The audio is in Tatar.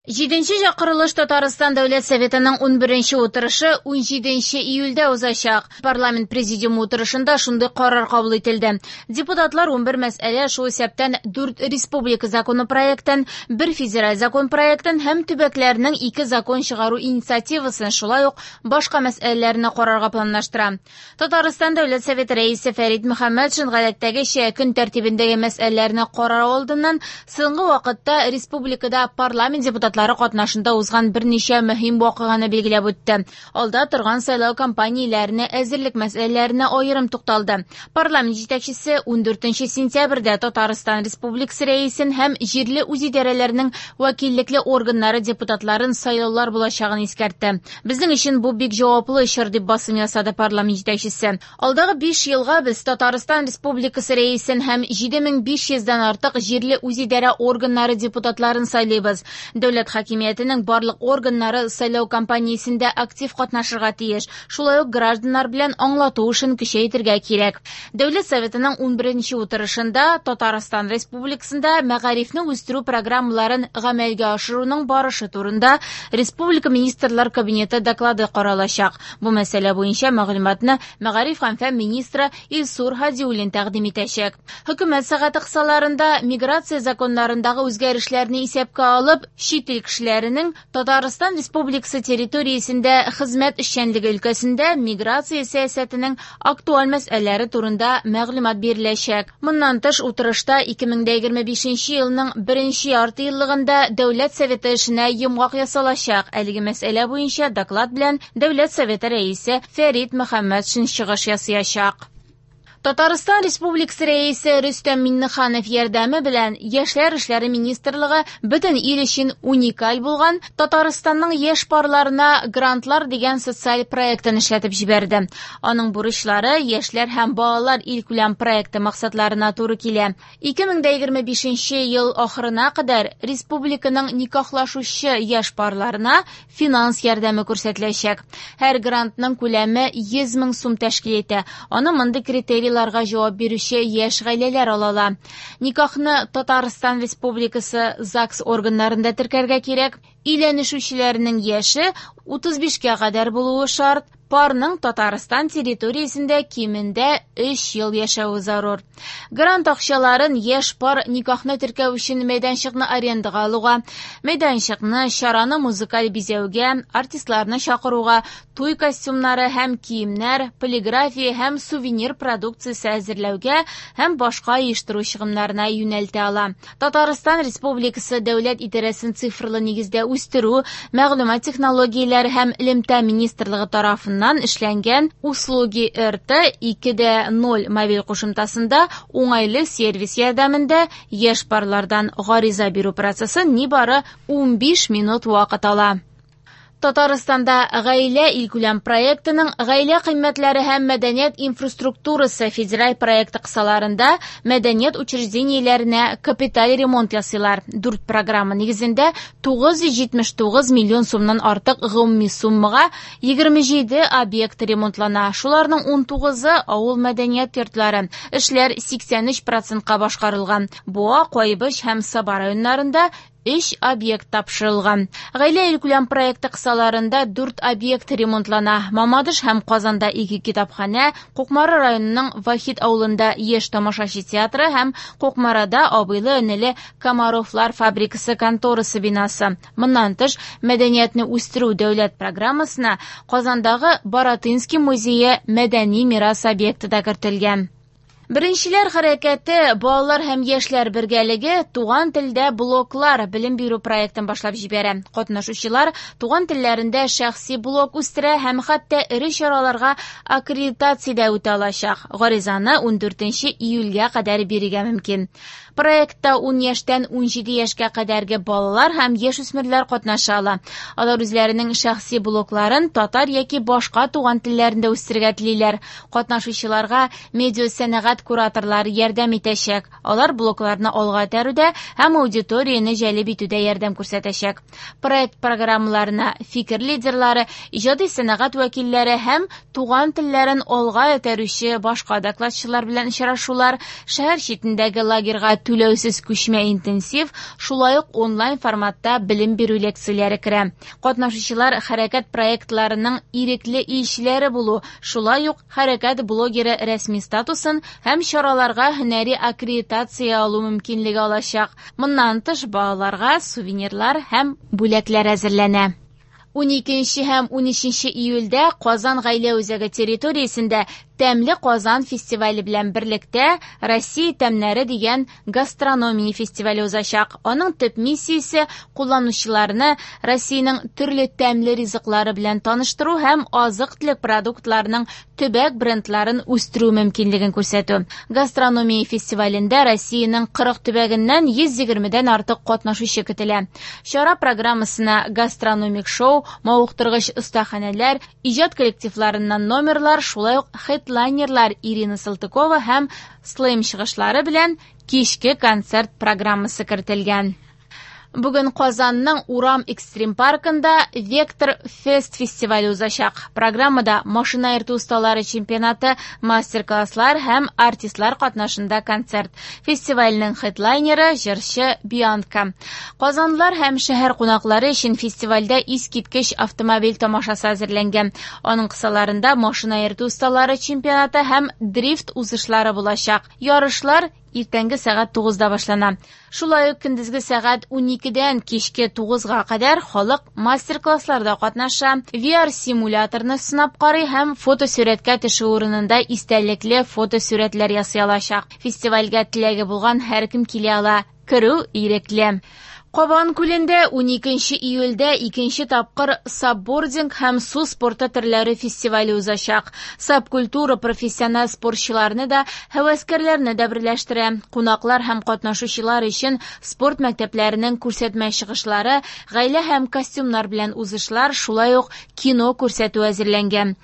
Җиденче чакырылыш Татарстан Дәүләт Советының 11нче утырышы 17 июльдә узачак. Парламент президиумы утырышында шундый карар кабул ителде. Депутатлар 11 мәсьәлә, шул исәптән 4 республика законопроектын, 1 федераль закон проектын һәм төбәкләрнең 2 закон чыгару инициативасын, шулай ук башка мәсьәләләрне карарга планлаштыра. Татарстан Дәүләт Советы рәисе Фәрит Мөхәммәтшин гадәттәгечә көн тәртибендәге мәсьәләләрне карар алдыннан соңгы вакытта республикада парламент депутатлары катнашында узган берничә мөһим вакыйганы билгеләп үтте. Алда торган сайлау кампанияләренә әзерлек мәсьәләләренә аерым тукталды. Парламент җитәкчесе 14 сентябрьдә Татарстан Республикасы рәисен һәм җирле үзидарәләрнең вәкиллекле органнары депутатларын сайлаулар булачагын искәртте. Безнең өчен бу бик җаваплы чор, дип басым ясады парламент җитәкчесе. Алдагы 5 елга без Татарстан Республикасы рәисен һәм 7500дән артык җирле үзидарә органнары депутатларын сайлыйбыз. Дәүләт хакимиятенең барлык органнары сайлау кампаниясендә актив катнашырга тиеш. Шулай ук гражданнар белән аңлату эшен көчәйтергә кирәк. Дәүләт Советының 11нче утырышында Татарстан Республикасында мәгарифне үстерү программаларын гамәлгә ашыруның барышы турында Республика Министрлар Кабинеты доклады каралачак. Бу мәсьәлә буенча мәгълүматны мәгариф һәм фән министры Илсур Һадиуллин тәкъдим итәчәк. Хөкүмәт сәгате кысаларында миграция законнарындагы үзгәрешләрне исәпкә алып, чит ил кешеләренең Татарстан Республикасы территориясендә хезмәт эшчәнлеге өлкәсендә миграция сәясәтенең актуаль мәсьәләләре турында мәгълүмат биреләчәк. Моннан тыш, утырышта 2025 елның беренче ярты еллыгында Дәүләт Советы эшенә йомгак ясалачак. Әлеге мәсьәлә буенча доклад белән Дәүләт Советы рәисе Фәрит Мөхәммәтшин чыгыш ясаячак. Татарстан Республикасы рәисе Рөстәм Миңнеханов ярдәме белән Яшьләр эшләре министрлыгы бөтен ил өчен уникаль булган Татарстанның яшь парларына грантлар дигән социаль проектын эшләтеп җибәрде. Аның бурычлары яшьләр һәм балалар илкүләм проекты максатларына туры килә. 2025 ел ахырына кадәр республиканың никахлашучы яшь парларына финанс ярдәме күрсәтеләчәк. Һәр грантның күләме 100 мең сум тәшкил итә. Аны мондый критерийларга җавап бирүче яшь гаиләләр ала ала. Никахны Татарстан Республикасы ЗАГС органнарында теркәргә кирәк. Өйләнешүчеләрнең яше 35кә кадәр булуы шарт. Парның Татарстан территориясендә кимендә 3 ел яшәве зарур. Грант акчаларын яшь пар никахны теркәү өчен мәйданчыкны арендага алуга, мәйданчыкны, чараны музыкаль бизәүгә, артистларны чакыруга, туй костюмнары һәм киемнәр, полиграфия һәм сувенир продукциясе әзерләүгә һәм башка оештыру чыгымнарына юнәлтә ала. Татарстан Республикасы Дәүләт идарәсен цифрлы нигездә үстерү, мәгълүмат технологияләре һәм элемтә министрлыгы тарафыннан эшләнгән Услуги РТ 2.0 мобиль кушымтасында уңайлы сервис ярдәмендә яшь парлардан гариза бирү процессы нибары 15 минут вакыт ала. Татарстанда гаилә илкүләм проектының Гаилә кыйммәтләре һәм мәдәният инфраструктурасы федераль проекты кысаларында мәдәният учреждениеләренә капиталь ремонт ясыйлар. 4 программа нигезендә 979 миллион сумнан артык гомуми суммага 27 объект ремонтлана. Шуларның 19-ы авыл мәдәният йортлары. Эшләр 83%-ка башкарылган. Буа, Кайбыч һәм Саба районнарында 3 объект тапшырылган. Гаилә илкүләм проекты кысаларында 4 объект ремонтлана. Мамадыш һәм Казанда 2 китапханә, Кукмара районының Вахит авылында Яшь тамашачы театры һәм Кукмарада абыйлы-энеле Комаровлар фабрикасы конторасы бинасы. Моннан тыш, мәдәниятне үстерү дәүләт программасына Казандагы Баратынский музее мәдәни мирас объекты да кертелгән. Беренчеләр хәрәкәте, балалар һәм яшьләр бергәлеге туган телдә блоклар белем бирү проектын башлап җибәрә. Катнашучылар туган телләрендә шәхси блок үстерә һәм хәтта эре чараларга аккредитация дә үтә алачак. Гаризаны 14 июльгә кадәр бирергә мөмкин. Проектта 10 яшьтән 17 яшькә кадәрге балалар һәм яшүсмерләр катнаша ала. Алар үзләренең шәхси блокларын татар яки башка туган телләрендә үстерергә телиләр. Катнашучыларга медиа сәнәгать сәнгать кураторлары ярдәм итәчәк. Алар блогларны алга этәрүдә һәм аудиторияне җәлеп итүдә ярдәм күрсәтәчәк. Проект программаларына фикер лидерлары, иҗади сәнәгать вәкилләре һәм туган телләрен алга этәрүче башка докладчылар белән очрашулар, шәһәр читендәге лагерьга түләүсез күчмә интенсив, шулай ук онлайн форматта белем бирү лекцияләре керә. Катнашучылар хәрәкәт проектларының ирекле илчеләре булу, шулай ук хәрәкәт блогеры рәсми статусын һәм чараларга һөнәри аккредитация алу мөмкинлеге алачак. Моннан тыш, балаларга сувенирлар һәм бүләкләр әзерләнә. 12 һәм 13 июльдә Казан гаилә үзәге территориясендә Тәмле Казан фестивале белән берлектә Россия тәмнәре дигән гастрономия фестивале узачак. Аның төп миссиясе кулланучыларны Россиянең төрле тәмле ризыклары белән таныштыру һәм азык-төлек продуктларының төбәк брендларын үстерү мөмкинлеген күрсәтү. Гастрономия фестивалендә Россиянең 40 төбәгеннән 120дән артык катнашучы көтелә. Чара программасына гастрономик шоу, мавыктыргыч остаханәләр, иҗат коллективларыннан номерлар, шулай ук хедлайнерлар Ирина Салтыкова һәм Слэм чыгышлары белән кичке концерт программасы кертелгән. Бүген Казанның Урам экстрим паркында Вектор Фест фестивале узачак. Программада машина йөртү осталары чемпионаты, мастер-класслар һәм артистлар катнашында концерт. Фестивальнең хедлайнеры җырчы Бианка. Казанлылар һәм шәһәр кунаклары өчен фестивальдә искиткеч автомобиль тамашасы әзерләнгән. Аның кысаларында машина йөртү осталары чемпионаты һәм дрифт узышлары булачак. Ярышлар иртәнге сәгать 9-да башлана. Шулай ук көндезге сәгать 12-дән кичке 9-га кадәр халык мастер-классларда катнаша, VR-симуляторны сынап карый һәм фотосурәткә төшү урынында истәлекле фотосурәтләр ясый алачак. Фестивальгә теләге булган һәркем килә ала. Керү ирекле. Кабан күлендә 12 июльдә икенче тапкыр сапбординг һәм су спорты төрләре фестивале узачак. Сапкультура профессиональ спортчыларны да, һәвәскәрләрне дә берләштерә. Кунаклар һәм катнашучылар өчен спорт мәктәпләренең күрсәтмә чыгышлары, гаилә һәм костюмнар белән узышлар, шулай ук кино күрсәтү әзерләнгән.